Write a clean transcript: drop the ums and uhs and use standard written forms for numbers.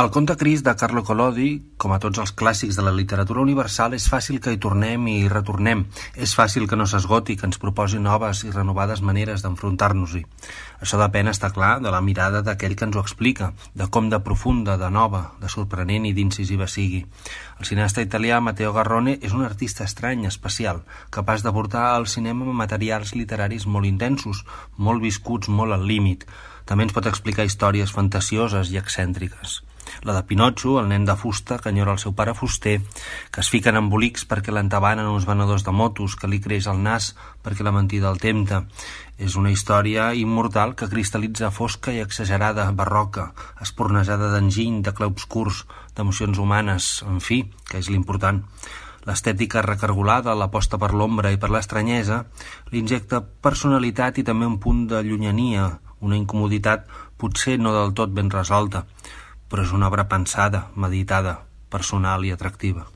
El conte Crist de Carlo Collodi, com a tots els clàssics de la literatura universal, és fàcil que hi tornem i hi retornem. És fàcil que no s'esgoti, que ens proposi noves i renovades maneres d'enfrontar-nos-hi. Això depèn, està clar, de la mirada d'aquell que ens ho explica, de com de profunda, de nova, de sorprenent i d'incisiva sigui. El cineasta italià Matteo Garrone és un artista estrany, especial, capaç de portar al cinema materials literaris molt intensos, molt viscuts, molt al límit. També ens pot explicar històries fantasioses i excèntriques. La de Pinotxo, el nen de fusta que enyora el seu pare fuster, que es fica en embolics perquè l'entabanen uns venedors de motos, que li creix el nas perquè la mentida el tempta. És una història immortal que cristal·litza fosca i exagerada, barroca, espornejada d'enginy, de clarobscurs, d'emocions humanes, en fi, que és l'important. L'estètica recargolada, l'aposta per l'ombra i per l'estranyesa, li injecta personalitat i també un punt de llunyania, una incomoditat potser no del tot ben resolta, però és una obra pensada, meditada, personal i atractiva.